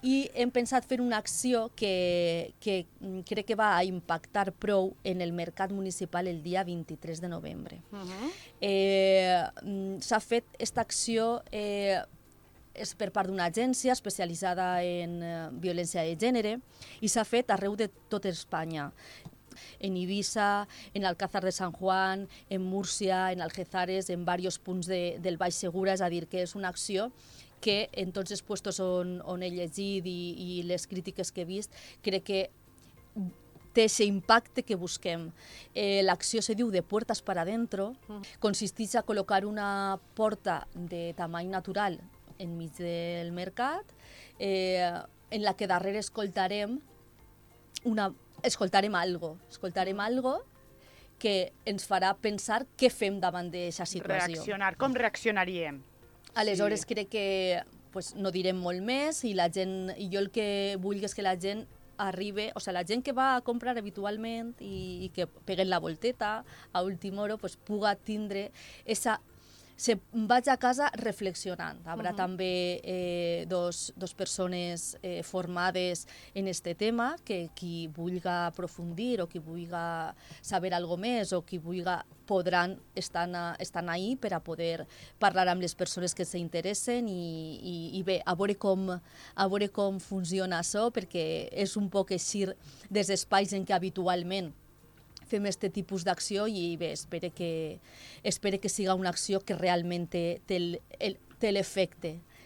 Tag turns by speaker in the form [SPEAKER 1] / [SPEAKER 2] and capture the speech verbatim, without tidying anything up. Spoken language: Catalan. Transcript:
[SPEAKER 1] i hem pensat fer una acció que, que crec que va a impactar prou en el mercat municipal el dia vint-i-tres de novembre. Uh-huh. eh, S'ha fet aquesta acció eh, és per part d'una agència especialitzada en eh, violència de gènere i s'ha fet arreu de tot Espanya. En Ibiza, en Alcázar de San Juan, en Múrcia, en Algezares, en diversos punts de, del Baix Segura, és a dir, que és una acció que en tots els llocs on, on he llegit i, i les crítiques que he vist, crec que té aquest impacte que busquem. Eh, L'acció se diu de puertas para adentro, consisteix a col·locar una porta de tamany natural enmig del mercat, eh, en la que darrere escoltarem una escoltarem algo, escoltarem algo que ens farà pensar què fem davant d'aquesta situació.
[SPEAKER 2] Reaccionar, com reaccionaríem?
[SPEAKER 1] Aleshores sí. Crec que pues, no direm molt més i la gent, i jo el que vull és que la gent arribi, o sigui, la gent que va a comprar habitualment i, i que peguen la volteta a última hora, pues, puga tindre esa se vaig a casa reflexionant. Hi haurà uh-huh. també eh, dos, dos persones eh, formades en este tema, que qui vulgui aprofundir o qui vulgui saber alguna més o qui vulgui podran estar, estan ahí per a poder parlar amb les persones que s'interessen i, i, i bé, a veure, com, a veure com funciona això, perquè és un poc eixir dels espais en què habitualment fem aquest tipus d'acció i bé, espero que, espero que siga una acció que realment té, té l'efecte